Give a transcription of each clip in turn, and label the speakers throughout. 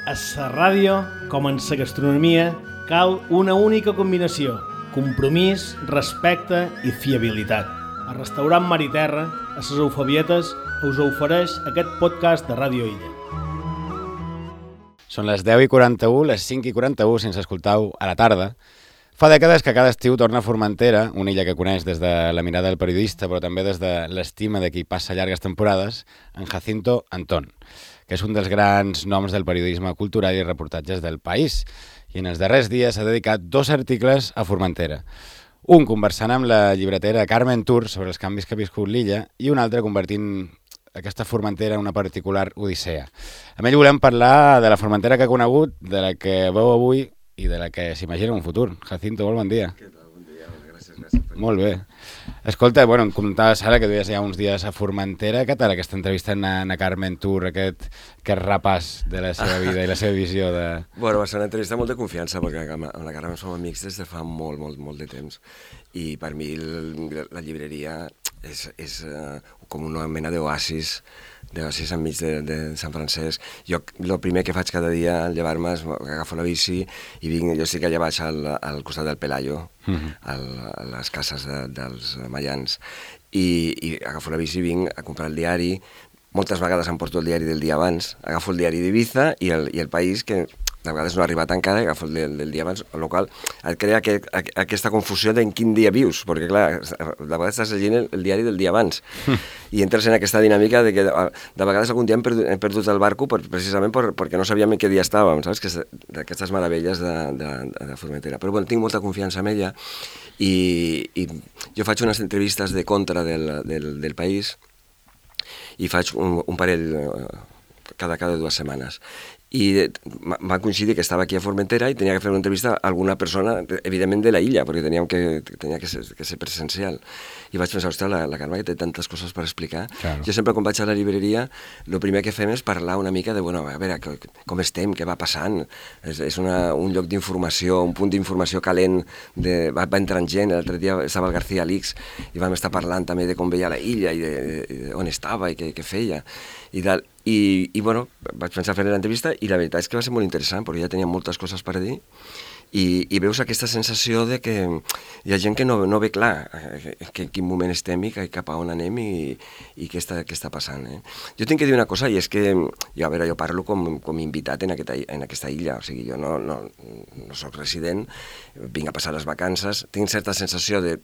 Speaker 1: A la ràdio, com en la gastronomia, cal una única combinació: compromís, respecte i fiabilitat. El restaurant Mar i Terra, a les Eufabietes, us ofereix aquest podcast de Ràdio Illa.
Speaker 2: Són les 10:41, les 5:41, si ens escoltau a la tarda. Fa dècades que cada estiu torna a Formentera, una illa que coneix des de la mirada del periodista, però també des de l'estima de qui passa llargues temporades, en Jacinto Antón, que és un dels grans noms del periodisme cultural i reportatges del país. I en els darrers dies ha dedicat 2 articles a Formentera. Un conversant amb la llibretera Carmen Tur sobre els canvis que ha viscut l'illa i un altre convertint aquesta Formentera en una particular odissea. Amb ell volem parlar de la Formentera que ha conegut, de la que veu avui i de la que s'imagina en un futur. Jacinto, molt bon dia.
Speaker 3: Què tal? Bon dia, gràcies.
Speaker 2: Molt bé. Escolta, em comentaves ara que duies ja uns dies a Formentera. Què tal aquesta entrevista a Carmen Tur, aquest repàs de la seva vida i la seva visió de...
Speaker 3: Bueno, va ser una entrevista molt de confiança, perquè amb la Carmen som amics des de fa molt de temps. I per mi la llibreria és com una mena d'oasis enmig de Sant Francesc. Jo el primer que faig cada dia al llevar-me és agafo la bici i vinc, jo estic allà baix al costat del Pelayo, a les cases dels maians, i agafo la bici i vinc a comprar el diari. Moltes vegades em porto el diari del dia abans, agafo el diari d'Ibiza i el País, que de vegades no ha arribat encara, i agafo el del dia abans, el qual et crea aquesta confusió d'en quin dia vius, perquè clar, de vegades estàs llegint el diari del dia abans, i entres en aquesta dinàmica de que de vegades algun dia hem perdut el barco precisament perquè no sabíem en què dia estàvem, saps? D'aquestes meravelles de Formentera. Però bueno, tinc molta confiança en ella, i jo faig unes entrevistes de contra del País, i faig un parell cada 2 setmanes. I va coincidir que estava aquí a Formentera i tenia que fer una entrevista a alguna persona, evidentment de la illa, perquè tenia que ser presencial. I vaig pensar, ostres, la Carme que té tantes coses per explicar. Claro. Jo sempre quan vaig a la llibreria, el primer que fem és parlar una mica de, bueno, a veure, com estem, què va passant. És un lloc d'informació, un punt d'informació calent, va entrant gent. L'altre dia estava el García Alix i vam estar parlant també de com veia la illa i on estava i què feia. I bueno, vaig pensar fer l'entrevista i la veritat és que va ser molt interessant perquè ja tenia moltes coses per dir i veus aquesta sensació de que hi ha gent que no ve clar en quin moment estem i cap a on anem i què està passant. Jo tinc que dir una cosa, i és que jo parlo com invitat en aquesta illa, o sigui, jo no soc resident, vinc a passar les vacances, tinc certa sensació de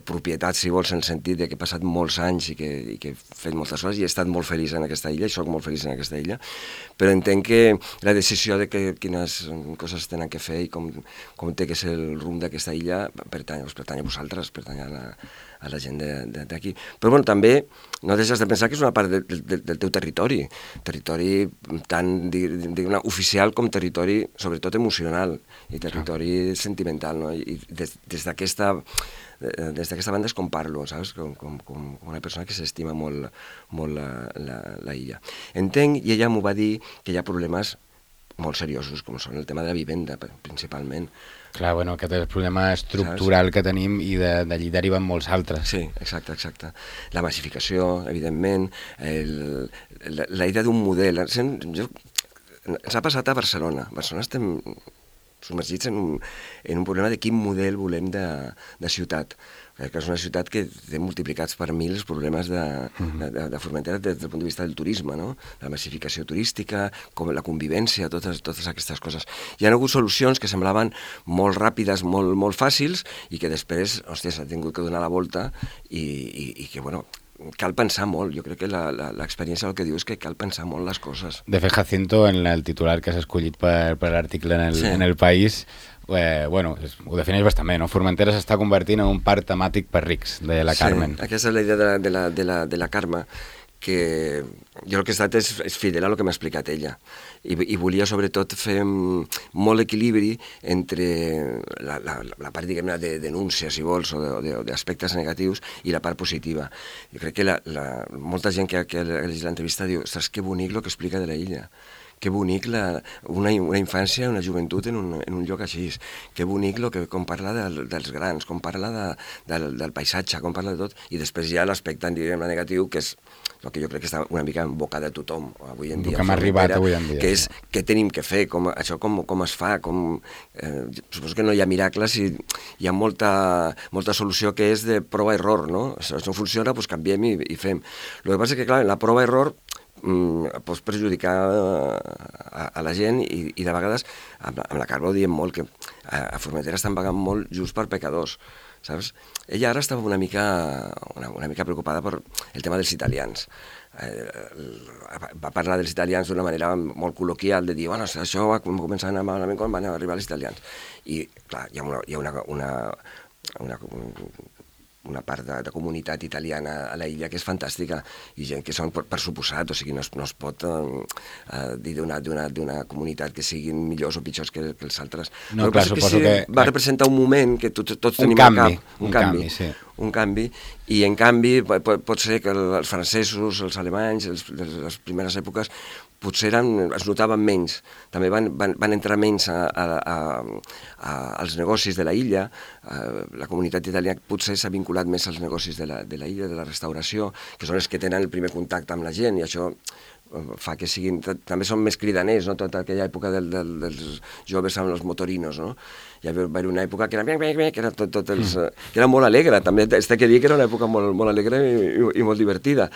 Speaker 3: propietat, si vols, en el sentit de que he passat molts anys i que he fet moltes coses i he estat molt feliç en aquesta illa, i soc molt feliç en aquesta illa, però entenc que la decisió de quines coses tenen que fer i com té que ser el rumb d'aquesta illa pertany a vosaltres, pertany a la gent d'aquí. Però bueno, també no deixes de pensar que és una part del teu territori tant, diguem-ne, oficial com territori, sobretot emocional, i territori sentimental, no? I des d'aquesta banda és com parlo, saps? Com una persona que s'estima molt la illa. Entenc, i ella m'ho va dir, que hi ha problemes molt seriosos, com són el tema de la vivenda, principalment.
Speaker 2: Clar, bueno, aquest és el problema estructural, saps? Que tenim, i d'allí deriven molts altres.
Speaker 3: Sí, exacte. La massificació, evidentment, la idea d'un model. Ens ha passat a Barcelona. A Barcelona estem submergits en un problema de quin model volem de ciutat. Que és una ciutat que té multiplicats per 1000 els problemes de Formentera des del punt de vista del turisme, no? La massificació turística, com la convivència, totes aquestes coses. Hi ha hagut solucions que semblaven molt ràpides, molt fàcils, i que després, hòstia, s'ha tingut que donar la volta i que, bueno, cal pensar molt. Jo crec que l'experiència el que diu és que cal pensar molt les coses.
Speaker 2: De fet, Jacinto, en el titular que has escollit per l'article en el País, bueno, ho defineix bastant bé, no? Formentera s'està convertint en un parc temàtic per rics, de la Carmen.
Speaker 3: Sí, aquesta és la idea de la Carme, que jo el que he estat és fidel a el que m'ha explicat ella, i volia sobretot fer molt equilibri entre la part, diguem-ne, de denúncia, si vols, o d'aspectes negatius, i la part positiva. Jo crec que molta gent que ha llegit l'entrevista diu, ostres, que bonic el que explica de la illa, que bonic una infància, una joventut en un lloc així, que bonic com parla dels grans, com parla del paisatge, com parla de tot, i després hi ha l'aspecte, diguem, negatiu, que és el que jo crec que està una mica en boca de tothom avui en dia.
Speaker 2: El que m'ha arribat avui en dia.
Speaker 3: Que és què tenim que fer, com es fa, suposo que no hi ha miracles i hi ha molta solució que és de prova-error, no? Si no funciona, doncs canviem i fem. El que passa és que, clar, la prova-error pots perjudicar a la gent i de vegades, amb la Carme ho diem molt, que a Formentera estan pagant molt just per pecadors, saps? Ella ara estava una mica preocupada per el tema dels italians. Va parlar dels italians d'una manera molt col·loquial, de dir, bueno, això va començar a anar malament quan van arribar els italians. I, clar, hi ha una part de comunitat italiana a la illa que és fantàstica, i gent que són per suposat, o sigui, no es pot dir d'una comunitat que siguin millors o pitjors que els altres.
Speaker 2: No, clar, suposo que...
Speaker 3: Va representar un moment que tots tenim al cap. Un canvi, i en canvi pot ser que els francesos, els alemanys, les primeres èpoques, potser es notaven menys, també van entrar menys als negocis de la illa, la comunitat italiana potser s'ha vinculat més als negocis de la illa, de la restauració, que són els que tenen el primer contacte amb la gent, i això fa que siguin... També són més cridaners, no?, tota aquella època dels joves amb els motorinos, no? Hi va haver una època que era que era molt alegre, també té que dir que era una època molt alegre i molt divertida,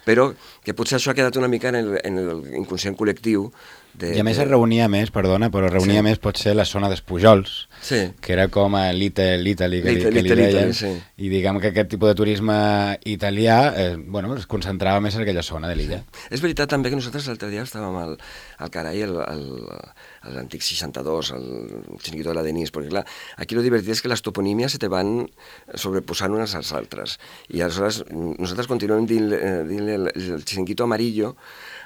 Speaker 3: però que potser això ha quedat una mica en l'inconscient col·lectiu.
Speaker 2: I a més es reunia més, perdona, però es reunia més potser la zona dels Pujols, que era com a Little Italy, que li deien, i diguem que aquest tipus de turisme italià es concentrava més en aquella zona de l'illa.
Speaker 3: És veritat també que nosaltres l'altre dia estàvem al Carai, a l'antic 62, al xiringuito de la Denís, perquè clar, aquí el divertit és que les toponímies se te van sobreposant unes als altres, i aleshores nosaltres continuem dient el xiringuito amarillo,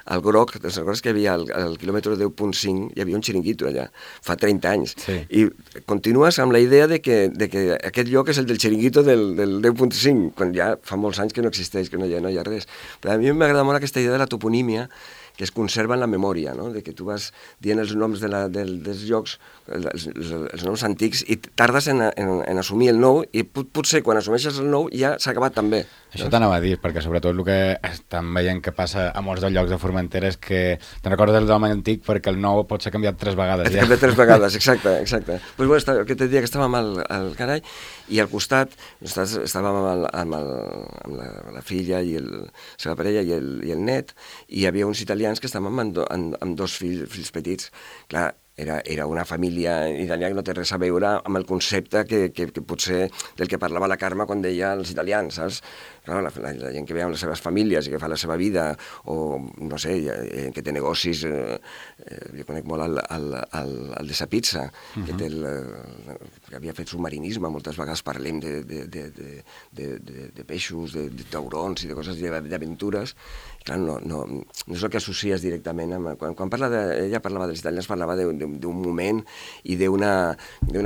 Speaker 3: al groc, te'n recordes que hi havia al quilòmetre 10.5, hi havia un xiringuito allà, fa 30 anys, i continues amb la idea de que aquest lloc és el del xiringuito del 10.5, quan ja fa molts anys que no existeix, que no hi ha res. Però a mi m'agrada molt aquesta idea de la toponímia, que es conserva en la memòria, no?, de que tu vas dient els noms dels llocs, els noms antics, i tardes en assumir el nou, i potser quan assumeixes el nou ja s'ha acabat també.
Speaker 2: Això t'anava a dir, perquè sobretot el que estan veient que passa a molts dels llocs de Formentera és que te'n recordes del nom antic perquè el nou pot ser canviat 3 vegades.
Speaker 3: Ja. Canviat 3 vegades, exacte. Pues bueno, el que te diria que estàvem al Carai, i al costat estàvem amb la filla i la seva parella i el net, i hi havia uns italians que estàvem amb 2 fills petits. Clar, era una família italiana que no té res a veure amb el concepte que potser del que parlava la Carme quan deia els italians, saps? Clar, la gent que ve amb les seves famílies i que fa la seva vida, o no sé, que té negocis, jo conec molt el de sa pizza, que havia fet submarinisme, moltes vegades parlem de peixos, de taurons i de coses d'aventures. Clar, no és el que associes directament amb... Quan ella parlava dels italians, parlava d'un moment i d'una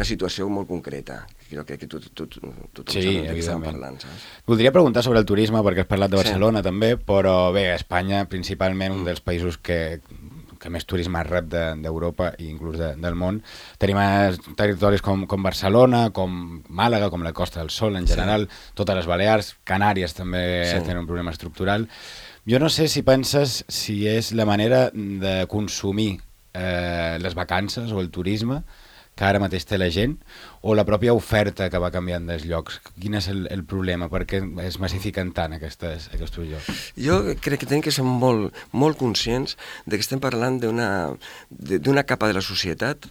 Speaker 3: situació molt concreta. Crec que tothom sap de què estem parlant, saps?
Speaker 2: Voldria preguntar sobre el turisme, perquè has parlat de Barcelona també, però bé, Espanya, principalment, un dels països que més turisme rep d'Europa i inclús del món. Tenim territoris com Barcelona, com Màlaga, com la Costa del Sol en general, totes les Balears, Canàries també tenen un problema estructural. Jo no sé si penses si és la manera de consumir les vacances o el turisme que ara mateix té la gent, o la pròpia oferta que va canviant dels llocs. Quin és el problema? Per què es massifiquen tant aquests llocs?
Speaker 3: Jo crec que tenim que ser molt conscients de que estem parlant d'una capa de la societat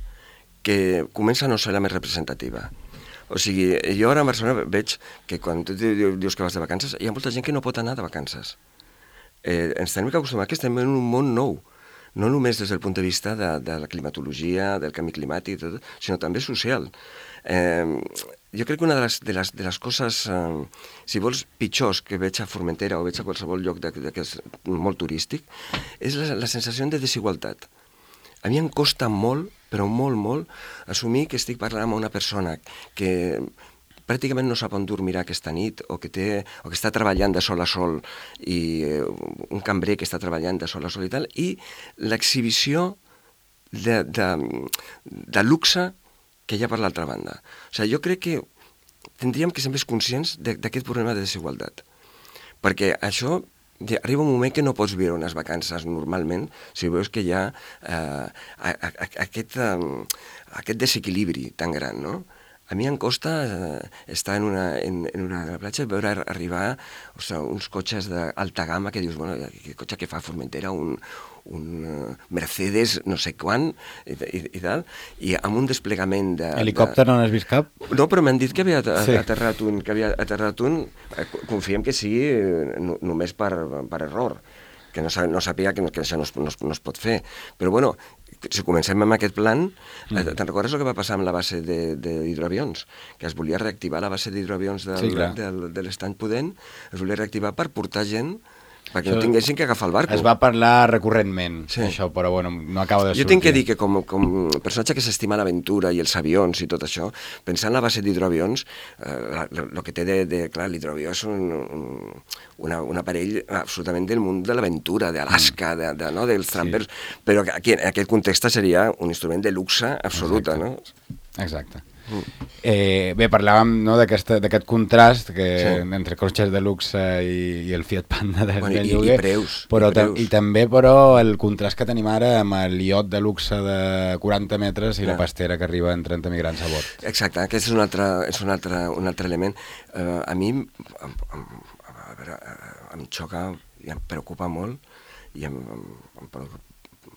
Speaker 3: que comença a no ser la més representativa. O sigui, jo ara a Barcelona veig que quan tu dius que vas de vacances, hi ha molta gent que no pot anar de vacances. Ens tenim que acostumar que estem en un món nou, no només des del punt de vista de la climatologia, del canvi climàtic, sinó també social. Jo crec que una de les coses, si vols, pitjors que veig a Formentera o veig a qualsevol lloc que és molt turístic, és la sensació de desigualtat. A mi em costa molt, però molt, assumir que estic parlant amb una persona que pràcticament no sap on dormirà aquesta nit, o que està treballant de sol a sol, i un cambrer que està treballant de sol a sol i tal, i l'exhibició de luxe que hi ha per l'altra banda. O sigui, jo crec que tindríem que ser més conscients d'aquest problema de desigualtat. Perquè això arriba un moment que no pots viure unes vacances normalment si veus que hi ha aquest desequilibri tan gran, no? A mi em costa estar en una platja i veure arribar uns cotxes d'alta gamma que dius, bueno, aquest cotxe que fa a Formentera, un Mercedes no sé quan i tal, i amb un desplegament de...
Speaker 2: Helicòpter no n'has vist cap?
Speaker 3: No, però m'han dit que havia aterrat un, confiem que sigui només per error, que no sàpiga que això no es pot fer. Però bueno, si comencem amb aquest plan, te'n recordes el que va passar amb la base d'hidroavions? Que es volia reactivar la base d'hidroavions de l'Estany Pudent, es volia reactivar per portar gent perquè no tinguessin que agafar el barco.
Speaker 2: Es va parlar recurrentment, això, però bueno, no acaba de sortir.
Speaker 3: Jo tinc que dir que com personatge que s'estima l'aventura i els avions i tot això, pensar en la base d'hidroavions, el que té clar, l'hidroavió és un aparell absolutament del món de l'aventura, d'Alaska, dels trampers, però aquí en aquest context seria un instrument de luxe absoluta, no?
Speaker 2: Exacte. Bé, parlàvem d'aquest contrast entre cotxes de luxe i el Fiat Panda del lloguer,
Speaker 3: i preus.
Speaker 2: I també, però, el contrast que tenim ara amb el iot de luxe de 40 metres i la pastera que arriba en 30 migrants a bord.
Speaker 3: Exacte, aquest és un altre element. A mi em xoca i em preocupa molt i em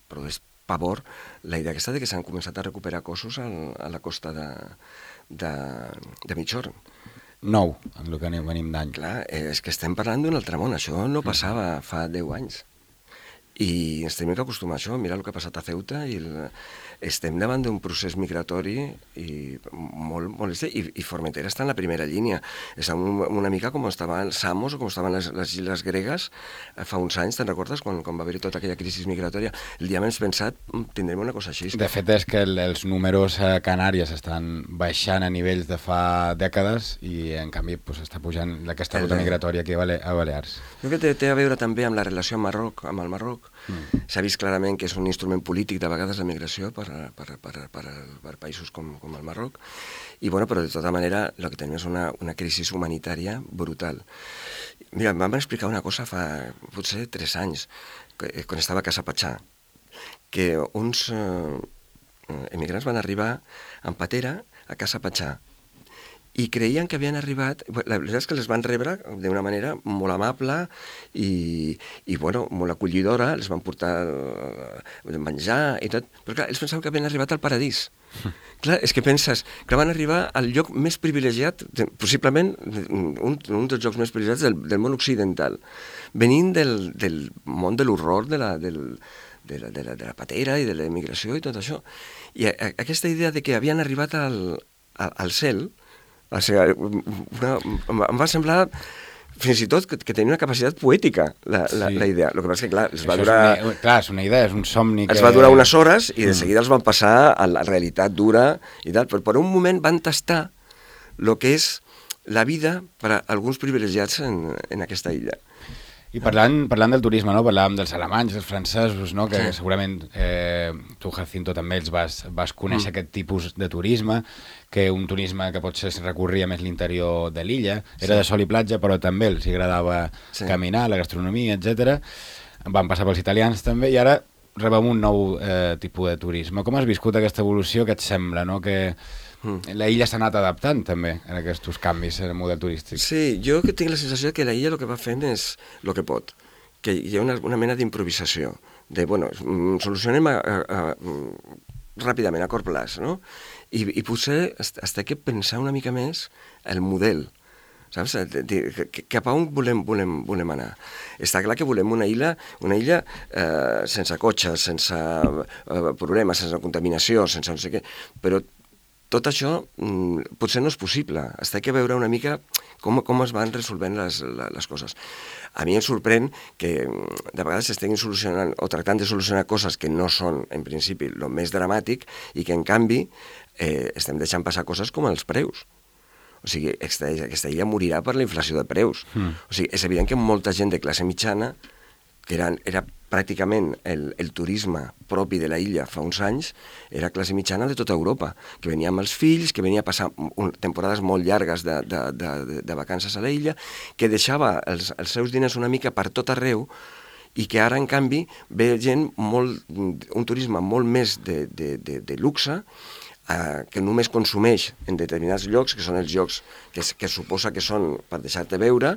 Speaker 3: produeix pavor la idea aquesta de que s'han començat a recuperar cossos a la costa de Migjorn.
Speaker 2: Nou, en el que venim d'any.
Speaker 3: Clar, és que estem parlant d'un altre món, això no passava fa 10 anys. I ens tenim que acostumar a això, mira el que ha passat a Ceuta, i estem davant d'un procés migratori molt i Formentera està en la primera línia. És una mica com estaven Samos o com estaven les illes gregues fa uns anys, te'n recordes, quan va haver-hi tota aquella crisi migratòria? El dia menys pensat tindrem una cosa així.
Speaker 2: De fet, és que els números a Canàries estan baixant a nivells de fa dècades i, en canvi, està pujant aquesta ruta migratòria aquí a Balears.
Speaker 3: Jo crec que té a veure també amb la relació amb el Marroc. S'ha vist clarament que és un instrument polític de vegades la migració per països com el Marroc, i bueno, però de tota manera el que tenim és una crisi humanitària brutal. Mira, em van explicar una cosa fa potser 3 anys, quan estava a Casa Patxà, que uns emigrants van arribar en patera a Casa Patxà i creien que havien arribat... La veritat és que les van rebre d'una manera molt amable i bueno, molt acollidora, els van portar menjar i tot, però clar, ells pensaven que havien arribat al paradís. Clar, és que penses que van arribar al lloc més privilegiat, possiblement un dels llocs més privilegiats del món occidental, venint del món de l'horror, de la patera i de la immigració i tot això. I aquesta idea de que havien arribat al cel, o sigui, em va semblar fins i tot que tenia una capacitat poètica la idea. El que passa és que, clar, es va durar...
Speaker 2: Clar, és una idea, és un somni que...
Speaker 3: Es va durar unes hores i de seguida els van passar a la realitat dura i tal, però per un moment van tastar el que és la vida per a alguns privilegiats en aquesta illa.
Speaker 2: I parlant del turisme, no? Parlàvem dels alemanys, dels francesos, no? Que segurament tu, Jacinto, també els vas conèixer aquest tipus de turisme, que un turisme que potser recorria més l'interior de l'illa, era de sol i platja, però també els agradava caminar, la gastronomia, etc. Van passar pels italians també, i ara rebem un nou tipus de turisme. Com has viscut aquesta evolució? Què et sembla, no? Que la illa s'ha anat adaptant també a aquests canvis en el model turístic.
Speaker 3: Sí, jo tinc la sensació que la illa el que va fent és el que pot, que hi ha una mena d'improvisació, de, bueno, solucionem ràpidament, a curt plaç, no? I potser has de pensar una mica més el model, saps? Cap a on volem anar. Està clar que volem una illa sense cotxes, sense problemes, sense contaminació, sense no sé què, però tot això potser no és possible. Has de veure una mica com es van resolvent les coses. A mi em sorprèn que de vegades s'estiguin solucionant o tractant de solucionar coses que no són, en principi, el més dramàtic i que, en canvi, estem deixant passar coses com els preus. O sigui, aquesta illa morirà per la inflació de preus. O sigui, és evident que molta gent de classe mitjana, que era pràcticament el turisme propi de la illa fa uns anys, era classe mitjana de tota Europa, que venia amb els fills, que venia a passar temporades molt llargues de vacances a la illa, que deixava els seus diners una mica per tot arreu, i que ara, en canvi, ve gent un turisme molt més de luxe, que només consumeix en determinats llocs, que són els llocs que suposa que són per deixar-te veure,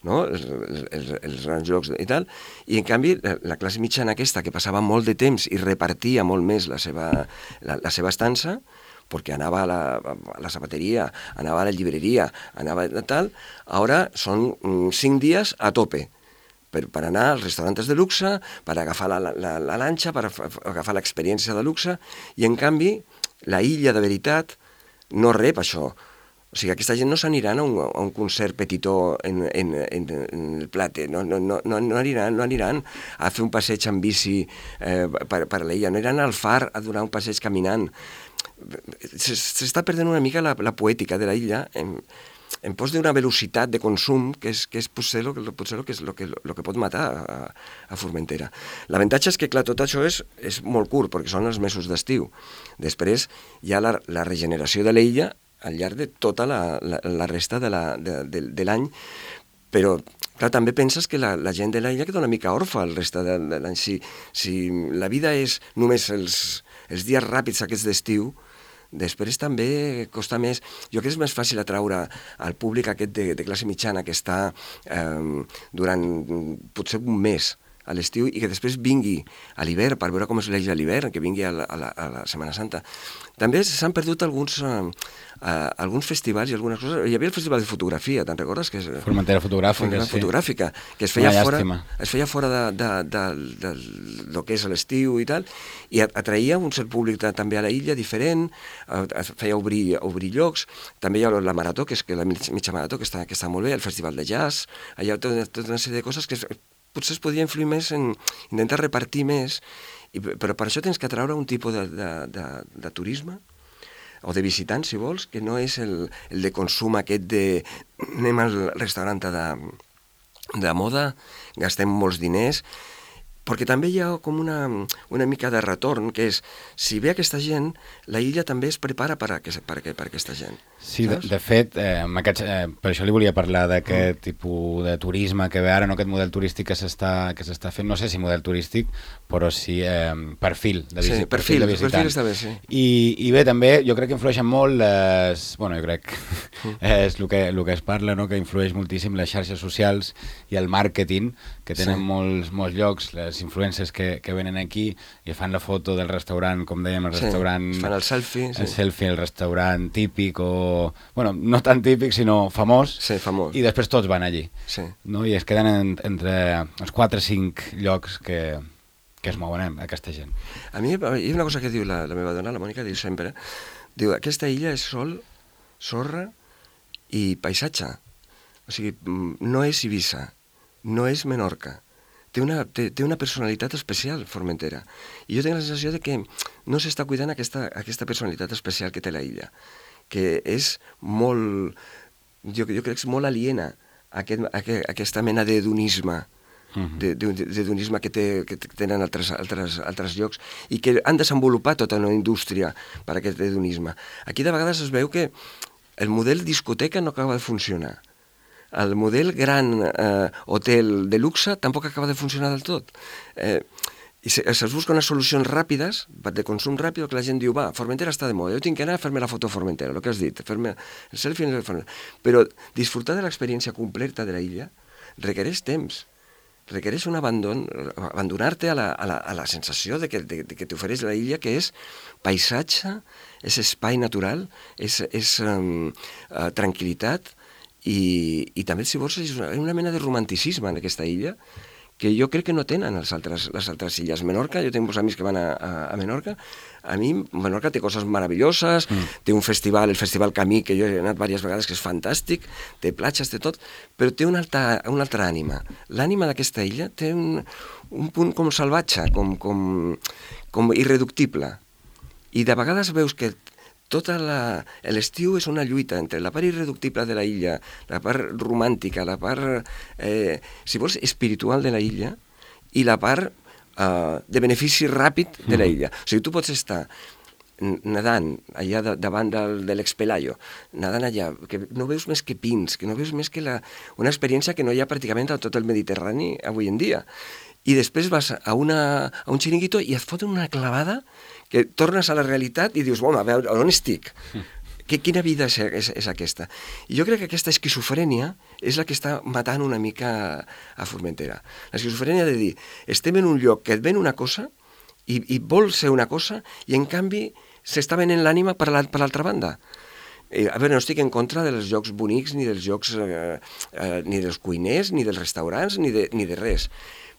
Speaker 3: no? Els grans llocs i tal, i en canvi la classe mitjana aquesta, que passava molt de temps i repartia molt més la seva estança, perquè anava a la zapateria, anava a la llibreria, anava a tal, ara són 5 dies a tope, per anar als restaurants de luxe, per agafar la lanxa, per agafar l'experiència de luxe, i en canvi la illa de veritat no rep això. O sigui, aquesta gent no s'aniran a un concert petitó en el Plate, no aniran a fer un passeig en bici per l'illa, no aniran al far a donar un passeig caminant. S'està perdent una mica la poètica de la illa en pos d'una velocitat de consum que és potser el que pot matar a Formentera. L'avantatge és que, clar, tot això és molt curt, perquè són els mesos d'estiu. Després hi ha la regeneració de l'illa al llarg de tota la resta de l'any, però clar, també penses que la gent de l'illa queda una mica orfa el resta de l'any. Si la vida és només els dies ràpids aquests d'estiu, després també costa més. Jo crec que és més fàcil atraure al públic aquest de classe mitjana que està durant potser un mes a l'estiu i que després vingui a l'hivern per veure com és l'illa a l'hivern, que vingui a la Setmana Santa. També s'han perdut alguns festivals i algunes coses. Hi havia el festival de fotografia, te'n recordes?
Speaker 2: Formentera fotogràfica, sí.
Speaker 3: Fotogràfica, que es feia fora del que és l'estiu i tal, i atraïa un cert públic també a la illa diferent, feia obrir llocs. També hi ha la marató, que és la mitja marató, que està molt bé, el festival de jazz, hi ha tota una sèrie de coses que potser es podria influir més en intentar repartir més, però per això tens que atraure un tipus de turisme, o de visitants, si vols, que no és el de consum aquest de anem al restaurant de moda, gastem molts diners, perquè també hi ha com una mica de retorn, que és, si ve aquesta gent, la illa també es prepara per aquesta gent.
Speaker 2: Sí, de fet, per això li volia parlar d'aquest tipus de turisme que ve ara, no aquest model turístic que s'està fent, no sé si model turístic, però sí perfil de visitant.
Speaker 3: Sí, perfil està bé, sí.
Speaker 2: I bé, també jo crec que influeixen molt jo crec és el que es parla, no? Que influeix moltíssim les xarxes socials i el màrqueting, que tenen molts llocs, les influencers que venen aquí i fan la foto del restaurant, com dèiem, el restaurant...
Speaker 3: Fan el selfie.
Speaker 2: El selfie, el restaurant típic o... Bueno, no tan típic, sinó famós.
Speaker 3: Sí, famós.
Speaker 2: I després tots van allí.
Speaker 3: Sí.
Speaker 2: No? I es queden entre els 4 o 5 llocs que es mouen aquesta gent.
Speaker 3: A mi hi ha una cosa que diu la meva dona, la Mònica, diu sempre, diu, aquesta illa és sol, sorra i paisatge. O sigui, no és Eivissa, no és Menorca. Té una personalitat especial, Formentera. I jo tinc la sensació de que no s'està cuidant aquesta personalitat especial que té la illa, que és molt, jo crec que és molt aliena a aquesta mena d'hedonisme, d'hedonisme que tenen altres llocs i que han desenvolupat tota una indústria per aquest hedonisme. Aquí de vegades es veu que el model discoteca no acaba de funcionar. El model gran hotel de luxe tampoc acaba de funcionar del tot. I es busquen unes solucions ràpides, de consum ràpid, que la gent diu, va, Formentera està de moda, jo tinc que anar a fer-me la foto a Formentera, el que has dit, fer-me el selfie a Formentera. Però disfrutar de l'experiència completa de la illa requereix temps, requereix un abandonar-te a la sensació de que t'ofereix la illa, que és paisatge, és espai natural, és tranquil·litat, i també, si vols, és una mena de romanticisme en aquesta illa, que jo crec que no tenen les altres illes. Menorca, jo tinc molts amics que van a Menorca, a mi Menorca té coses meravelloses, té un festival, el Festival Camí, que jo he anat diverses vegades, que és fantàstic, té platges, té tot, però té una altra ànima. L'ànima d'aquesta illa té un punt com salvatge, com irreductible. I de vegades veus que l'estiu és una lluita entre la part irreductible de la illa, la part romàntica, la part, si vols, espiritual de la illa i la part de benefici ràpid de la illa. O sigui, tu pots estar nedant allà davant de l'Expelayo, nedant allà, que no veus més que pins, que no veus més que una experiència que no hi ha pràcticament a tot el Mediterrani avui en dia. I després vas a un xiringuito i et foten una clavada que tornes a la realitat i dius, home, a veure, on estic? Quina vida és aquesta? I jo crec que aquesta esquizofrènia és la que està matant una mica a Formentera. L'esquizofrènia de dir, estem en un lloc que et ven una cosa i vol ser una cosa i en canvi s'està venent l'ànima per l'altra banda. A veure, no estic en contra dels llocs bonics, ni dels llocs, ni dels cuiners, ni dels restaurants, ni de res,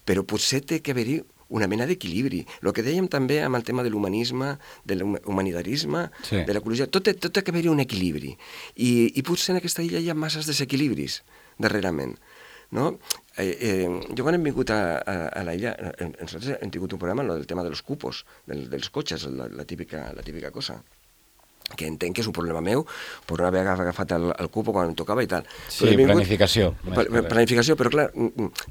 Speaker 3: però potser té que haver-hi una mena d'equilibri. El que dèiem també amb el tema de l'humanisme, de l'humanitarisme, sí, de l'ecologia, tot té que haver-hi un equilibri. I potser en aquesta illa hi ha masses desequilibris darrerament. No? Jo quan hem vingut a la illa, nosaltres hem tingut un programa del tema dels cupos, dels cotxes, la típica cosa, que entenc que és un problema meu per no haver agafat el cupo quan em tocava i tal.
Speaker 2: Sí, planificació.
Speaker 3: Planificació, però clar,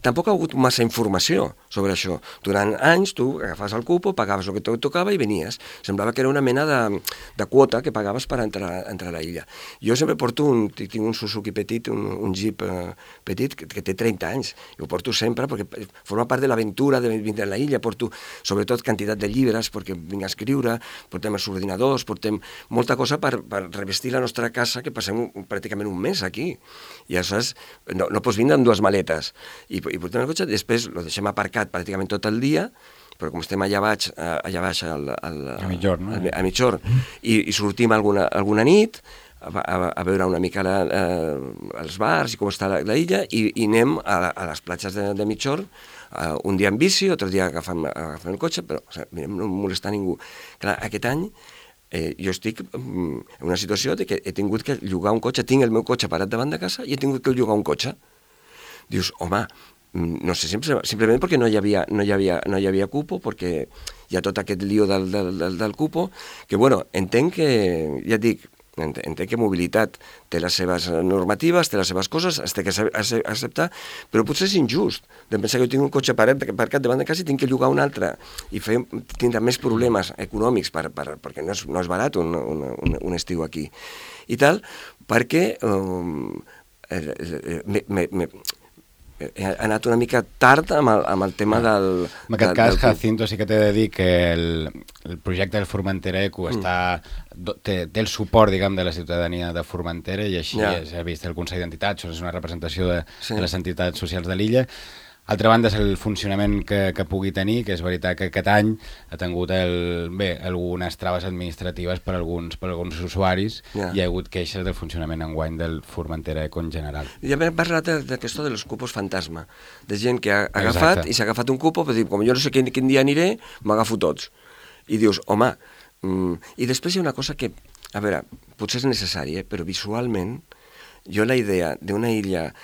Speaker 3: tampoc ha hagut massa informació sobre això. Durant anys tu agafaves el cupo, pagaves el que et tocava i venies. Semblava que era una mena de quota que pagaves per entrar a la illa. Jo sempre porto tinc un Suzuki petit, un Jeep petit, que té 30 anys. I ho porto sempre perquè forma part de l'aventura de vindre a la illa. Porto sobretot quantitat de llibres perquè vinc a escriure, portem els ordinadors, portem molta cosa per revestir la nostra casa, que passem pràcticament un mes aquí. I aleshores no pots vindre amb 2 maletes. I portem el cotxe, després el deixem aparcat pràcticament tot el dia, però com estem allà baix a Migjorn, i sortim alguna nit a veure una mica els bars i com està la illa, i anem a les platges de Migjorn, un dia en bici, altre dia agafant el cotxe, però no molestar ningú. Clar, aquest any jo estic en una situació de que he tingut que llogar un cotxe, tinc el meu cotxe parat davant de casa i he tingut que llogar un cotxe. Dius, home, no sé, simplement perquè no hi havia cupo, perquè hi ha tot aquest lío del cupo, que bueno, entenc que, ja et dic, entenc que mobilitat té les seves normatives, té les seves coses, es té que acceptar, però potser és injust de pensar que jo tinc un cotxe aparcat davant de casa i tinc que llogar un altre i tindrà més problemes econòmics perquè no és barat un estiu aquí i tal, perquè he anat una mica tard amb el tema del...
Speaker 2: En aquest cas, Jacinto, sí que t'he de dir que el projecte del Formentera Eco té el suport, diguem, de la ciutadania de Formentera i així s'ha vist el Consell d'Entitats, és una representació de les entitats socials de l'illa. Altra banda és el funcionament que pugui tenir, que és veritat que aquest any ha tingut algunes traves administratives per alguns usuaris i hi ha hagut queixes del funcionament enguany del Formentera Eco en general.
Speaker 3: Ja hem parlat d'aquesto de los cupos fantasma, de gent que ha agafat i s'ha agafat un cupo, però com jo no sé quin dia aniré, m'agafo tots. I dius, home, i després hi ha una cosa que, a veure, potser és necessari, però visualment, jo la idea d'una illa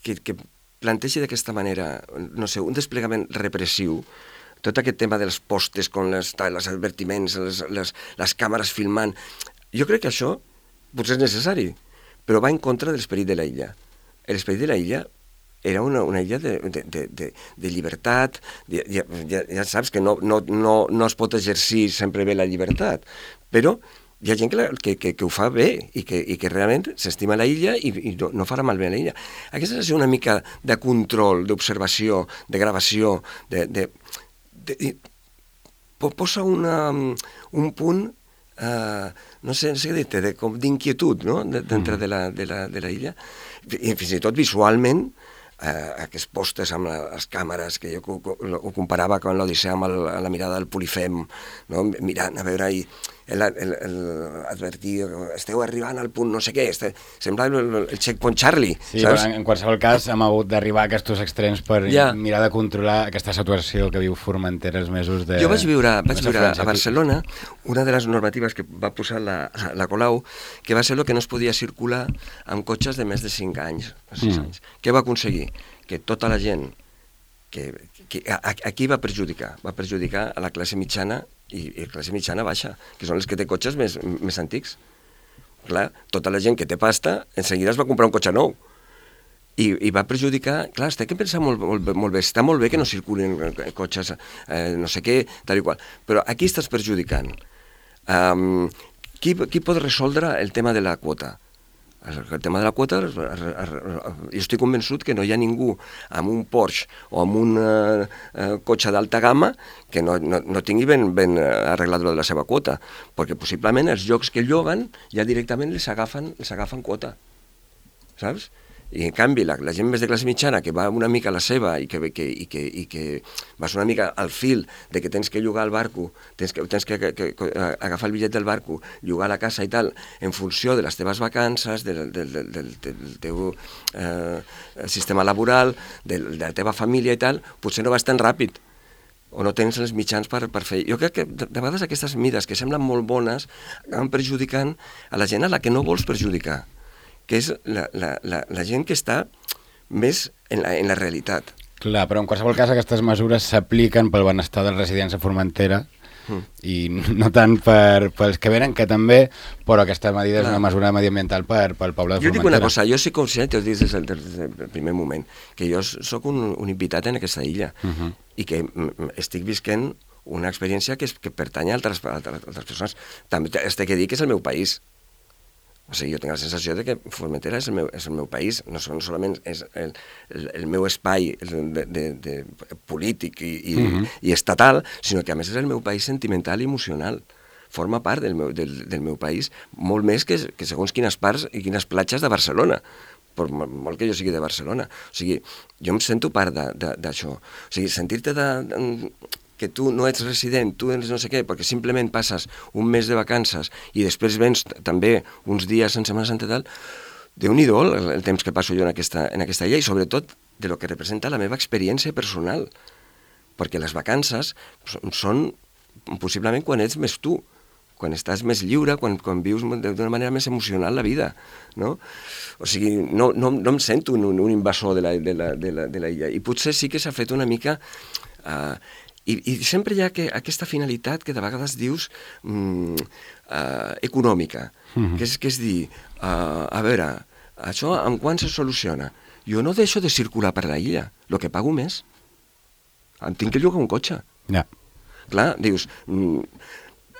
Speaker 3: que plantegi d'aquesta manera, no sé, un desplegament repressiu, tot aquest tema dels postes, con els advertiments, les càmeres filmant, jo crec que això potser és necessari, però va en contra de l'esperit de la illa. L'esperit de la illa era una illa de llibertat, ja saps que no es pot exercir sempre bé la llibertat, però hi ha gent que ho fa bé i que realment s'estima la illa i no farà malbé a la illa. Aquesta és una mica de control, d'observació, de gravació, posa un punt, no sé què dir-te, d'inquietud, no?, dintre de la illa. I fins i tot visualment, aquests postes amb les càmeres, que jo ho comparava amb l'Odissea amb la mirada del Polifem, no? Mirant a veure advertir, esteu arribant al punt no sé què, semblava el Checkpoint Charlie,
Speaker 2: sí, saps? En qualsevol cas hem hagut d'arribar a aquests extrems per mirar de controlar aquesta situació que viu Formentera els mesos de...
Speaker 3: Jo vaig viure a Barcelona una de les normatives que va posar la Colau, que va ser el que no es podia circular amb cotxes de més de 5 anys, 6 anys. Què va aconseguir? Que tota la gent que a qui va perjudicar? Va perjudicar a la classe mitjana i classe mitjana baixa, que són els que té cotxes més antics. Clar, tota la gent que té pasta, en seguida es va comprar un cotxe nou. I va perjudicar... Clar, té que pensar molt bé. Està molt bé que no circulin cotxes, no sé què, tal i qual. Però aquí estàs perjudicant. Qui pot resoldre el tema de la quota? El tema de la quota, jo estic convençut que no hi ha ningú amb un Porsche o amb un cotxe d'alta gamma que no tingui ben arreglat de la seva quota, perquè possiblement els llocs que lloguen ja directament les agafen quota, saps? I en canvi la gent més de classe mitjana que va una mica a la seva i que vas una mica al fil de que tens que llogar el barco, tens que agafar el bitllet del barco, llogar la casa i tal, en funció de les teves vacances, del teu sistema laboral, de la teva família i tal, potser no vas tan ràpid o no tens els mitjans per fer. Jo crec que de vegades aquestes mides que semblen molt bones acaben perjudicant a la gent a la que no vols perjudicar, que és la gent que està més en la realitat.
Speaker 2: Clar, però en qualsevol cas aquestes mesures s'apliquen pel benestar dels residents a Formentera i no tant pels que venen, que també, però aquesta medida és una mesura mediambiental pel poble de Formentera.
Speaker 3: Jo dic una cosa, jo soc conscient, t'ho dic des del primer moment, que jo soc un invitat en aquesta illa i que estic visquent una experiència que pertany a altres persones. També t'he de dir que és el meu país. O sigui, jo tinc la sensació de que Formentera és el meu país, no solament és el meu espai polític i estatal, sinó que a més és el meu país sentimental i emocional. Forma part del meu país, molt més que segons quines parts i quines platges de Barcelona, per molt que jo sigui de Barcelona. O sigui, jo em sento part d'això. O sigui, sentir-te que tu no ets resident, tu ets no sé què, perquè simplement passes un mes de vacances i després vens també uns dies en Setmana Santa i tal, Déu-n'hi-do el temps que passo jo en aquesta illa i sobretot de lo que representa la meva experiència personal, perquè les vacances són possiblement quan ets més tu, quan estàs més lliure, quan vius d'una manera més emocional la vida, no? O sigui, no em sento un invasor de la illa i potser sí que s'ha fet una mica... I sempre hi ha aquesta finalitat que de vegades dius econòmica, que és dir, a veure, això amb quan se soluciona? Jo no deixo de circular per la illa, el que pago més. Em tinc que llogar un cotxe.
Speaker 2: Ja.
Speaker 3: Clar, dius,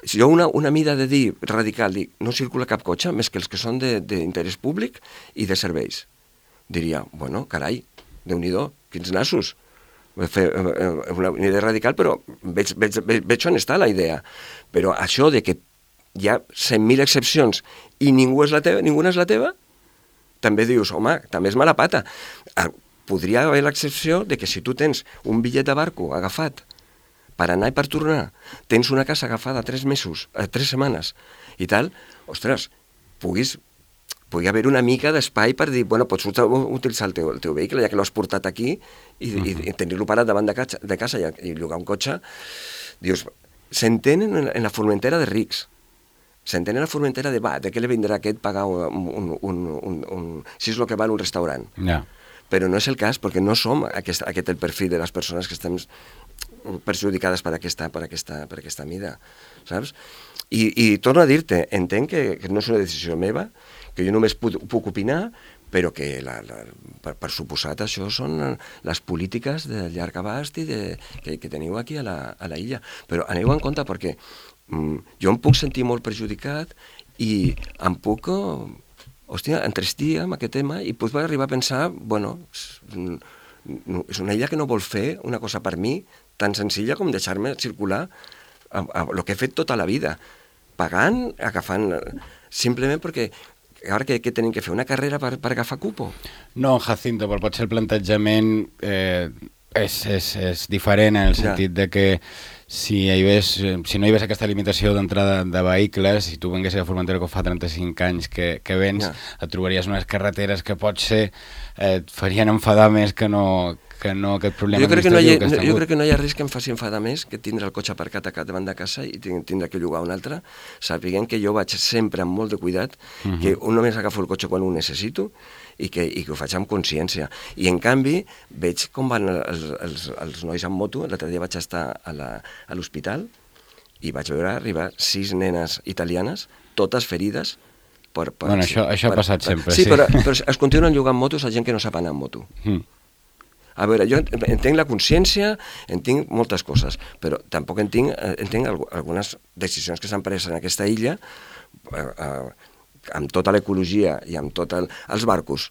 Speaker 3: si jo una mida de dir radical, dic, no circula cap cotxe més que els que són d'interès públic i de serveis. Diria, bueno, carai, Déu-n'hi-do, quins nassos. Fer una idea radical, però veig on està la idea. Però això de que hi ha 100.000 excepcions i ninguna és la teva, també dius, home, també és mala pata. Podria haver l'excepció de que si tu tens un bitllet de barco agafat per anar i per tornar, tens una casa agafada 3 setmanes i tal, ostres, pugui haver una mica d'espai per dir, bueno, pots utilitzar el teu vehicle, ja que l'has portat aquí, i tenir-lo parat davant de casa i llogar un cotxe. Dius, s'entenen en la Formentera de rics, s'entenen en la Formentera de què li vindrà a aquest pagar si és el que val un restaurant.
Speaker 2: Ja.
Speaker 3: Però no és el cas, perquè no som aquest el perfil de les persones que estem perjudicades per aquesta mida, saps? I torno a dir-te, entenc que no és una decisió meva, que jo només puc opinar, però que per suposat això són les polítiques de llarg abast i que teniu aquí a la illa. Però aneu en compte perquè jo em puc sentir molt perjudicat i em puc entrestir amb aquest tema i puc arribar a pensar, bueno, és una illa que no vol fer una cosa per mi tan senzilla com deixar-me circular el que he fet tota la vida, pagant, agafant, simplement perquè ara què tenim que fer? Una carrera per agafar cupo?
Speaker 2: No, Jacinto, però potser el plantejament és diferent en el sentit de que si no hi hagués aquesta limitació d'entrada de vehicles, si tu venguessis a Formentera que fa 35 anys que vens, et trobaries unes carreteres que potser et farien enfadar més que no que no aquest problema
Speaker 3: jo crec
Speaker 2: administratiu
Speaker 3: que no hi ha res que em faci enfadar més que tindre el cotxe aparcat a davant de casa i tindre que llogar un altre, sapiguent que jo vaig sempre amb molt de cuidat, que només agafo el cotxe quan ho necessito i que ho faig amb consciència. I en canvi veig com van els nois amb moto. L'altre dia vaig estar a l'hospital i vaig veure arribar 6 nenes italianes, totes ferides.
Speaker 2: Bueno, això ha passat sempre.
Speaker 3: Sí, però es continuen llogant motos a gent que no sap anar amb moto. A veure, jo entenc la consciència, entenc moltes coses, però tampoc entenc algunes decisions que s'han pres en aquesta illa amb tota l'ecologia i amb tots els barcos.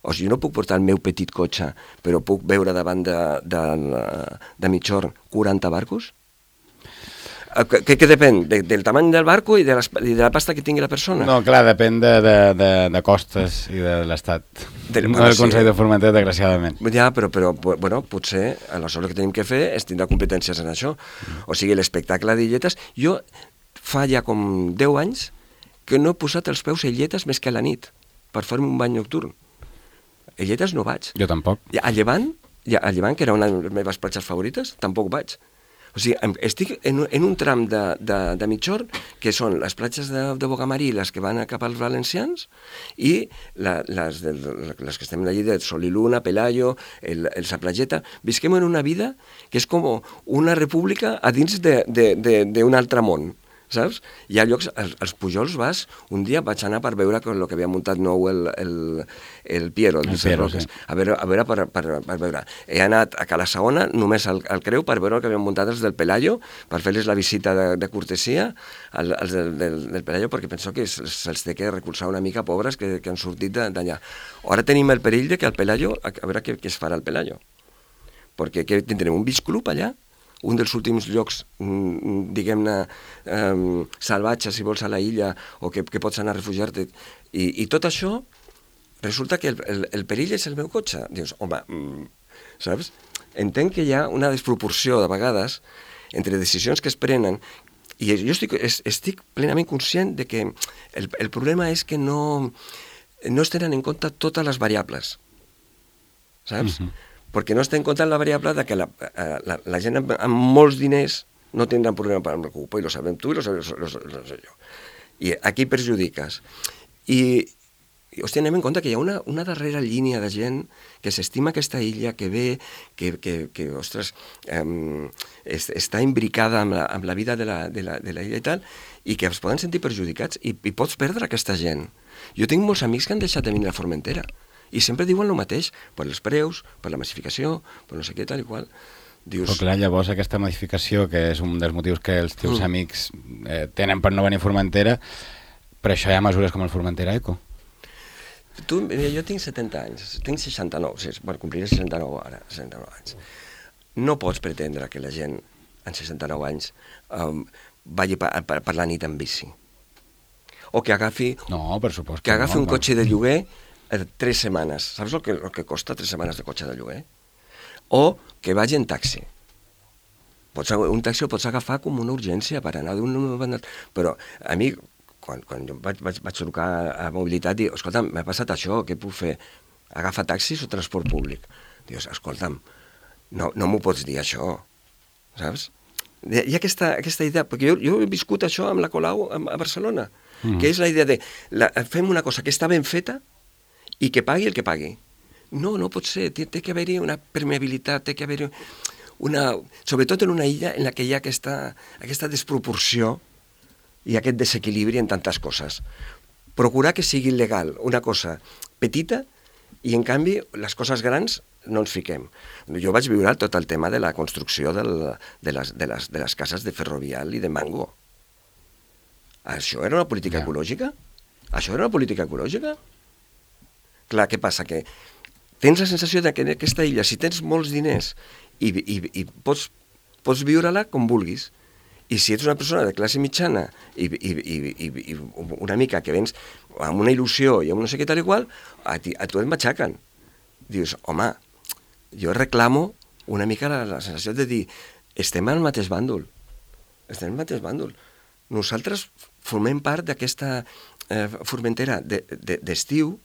Speaker 3: O sigui, jo no puc portar el meu petit cotxe, però puc veure davant de Migjorn 40 barcos? Què depèn? Del tamany del barco i de la pasta que tingui la persona?
Speaker 2: No, clar, depèn de costes i de l'Estat. No del Consell de Formentera, desgraciadament.
Speaker 3: Ja, però bueno, potser aleshores el que tenim que fer és tindre competències en això. O sigui, l'espectacle d'illetes... Jo fa ja com 10 anys que no he posat els peus a illetes més que a la nit per fer-me un bany nocturn. A illetes no vaig.
Speaker 2: Jo tampoc.
Speaker 3: A Llevant, que era una de les meves platges favorites, tampoc vaig. O sigui, estic en un tram de Migjorn, que són les platges de Bogamarí, les que van cap als valencians, i les que estem allà de Soliluna, Pelayo, el Saplageta. Visquem en una vida que és com una república a dins d'un altre món, saps? Hi ha llocs, als Pujols vas, un dia vaig anar per veure el que havia muntat nou el Piero, sí. A veure per veure. He anat a Cala Saona, només al Creu, per veure el que havien muntat els del Pelayo, per fer-les la visita de cortesia als del Pelayo, perquè penso que se'ls té que recolzar una mica, pobres, que han sortit d'allà. Ara tenim el perill de que el Pelayo, a veure què es farà el Pelayo, perquè tindrem un beach club allà, un dels últims llocs, diguem-ne, salvatges, si vols, a la illa, o que pots anar a refugiar-te. I tot això, resulta que el perill és el meu cotxe. Dius, home, saps? Entenc que hi ha una desproporció, de vegades, entre decisions que es prenen, i jo estic plenament conscient de que el problema és que no es tenen en compte totes les variables, saps? Perquè no es té en compte la variable de que la gent amb molts diners no tindran problema per amb el cupo, i lo sabem tu i lo sé jo. I aquí perjudiques. I hòstia, anem en compte que hi ha una darrera línia de gent que s'estima aquesta illa, que ve, que ostres, està imbricada amb la vida de la illa i tal, i que es poden sentir perjudicats, i pots perdre aquesta gent. Jo tinc molts amics que han deixat de venir a Formentera, i sempre diuen el mateix, per els preus, per la massificació, per no sé què, tal i qual. Dius...
Speaker 2: Però clar, llavors aquesta massificació, que és un dels motius que els teus amics tenen per no venir a Formentera, per això hi ha mesures com el Formentera Eco.
Speaker 3: Jo tinc 70 anys, tinc 69, compliré 69 ara, 69 anys. No pots pretendre que la gent, en 69 anys, vagi per la nit en bici. O que agafi...
Speaker 2: No, per supost
Speaker 3: que agafi un cotxe de lloguer 3 setmanes. Saps el que costa 3 setmanes de cotxe de lloguer? O que vagi en taxi. Un taxi el pots agafar com una urgència per anar d'un... Però a mi, quan jo vaig trucar a Mobilitat, dic, escolta'm, m'ha passat això, què puc fer? Agafa taxis o transport públic? Dius, escolta'm, no m'ho pots dir això, saps? Hi ha aquesta idea, perquè jo he viscut això amb la Colau a Barcelona, que és la idea de fem una cosa que està ben feta i que pagui el que pagui. No pot ser, té que haver-hi una permeabilitat, té que haver-hi sobretot en una illa en la que hi ha aquesta desproporció i aquest desequilibri en tantes coses. Procurar que sigui legal una cosa petita i, en canvi, les coses grans no ens fiquem. Jo vaig viure tot el tema de la construcció de les cases de Ferrovial i de Mango. Això era una política ecològica? Això era una política ecològica? Clar, què passa? Que tens la sensació que en aquesta illa, si tens molts diners i pots viure-la com vulguis, i si ets una persona de classe mitjana i una mica que vens amb una il·lusió i amb no sé què tal i qual, a tu et matxaquen. Dius, home, jo reclamo una mica la sensació de dir, estem al mateix bàndol. Estem al mateix bàndol. Nosaltres formem part d'aquesta Formentera d'estiu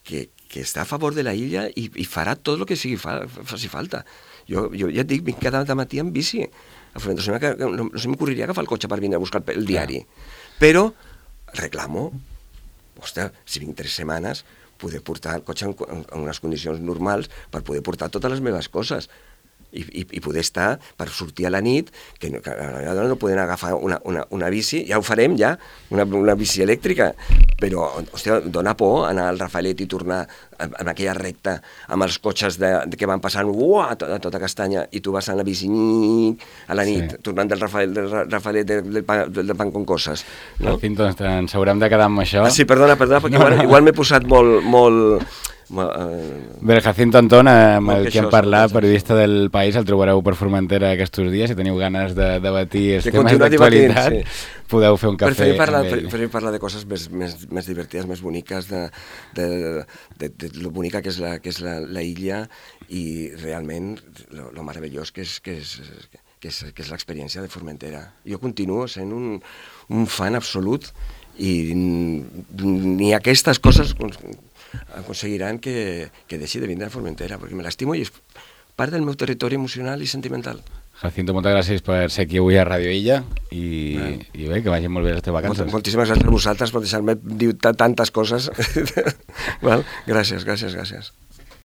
Speaker 3: que està a favor de la illa i farà tot el que faci falta. Jo ja et dic, vinc cada matí amb bici a Formentera, no se m'ocorreria agafar el cotxe per vindre a buscar el diari, però reclamo, ostres, si vinc 3 setmanes, poder portar el cotxe en unes condicions normals per poder portar totes les meves coses i poder estar per sortir a la nit, que no poden agafar una bici, ja ho farem ja, una bici elèctrica, però, hòstia, dona por anar al Rafaelet i tornar en aquella recta amb els cotxes que van passant a tota castanya i tu vas en la bici a la nit, tornant del Rafaelet del pan con coses.
Speaker 2: No? Al fin, doncs, ens haurem de quedar amb això.
Speaker 3: Sí, perdona, perquè igual m'he posat molt...
Speaker 2: Bé, el Jacinto Antón, amb el que hem parlat, periodista del País, el trobareu per Formentera aquests dies. Si teniu ganes de debatir els temes d'actualitat, podeu fer un cafè amb ell.
Speaker 3: Preferim parlar de coses més divertides, més boniques, de lo bonica que és la illa i realment lo meravellós que és l'experiència de Formentera. Jo continuo sent un fan absolut i ni aquestes coses aconseguiran que deixi de vindre a Formentera, perquè me l'estimo i és part del meu territori emocional i sentimental.
Speaker 2: Jacinto, moltes gràcies per ser aquí avui a Radio Illa i bé, que vagin molt bé les teves vacances.
Speaker 3: Moltíssimes gràcies a vosaltres per deixar-me dir tantes coses. Gràcies.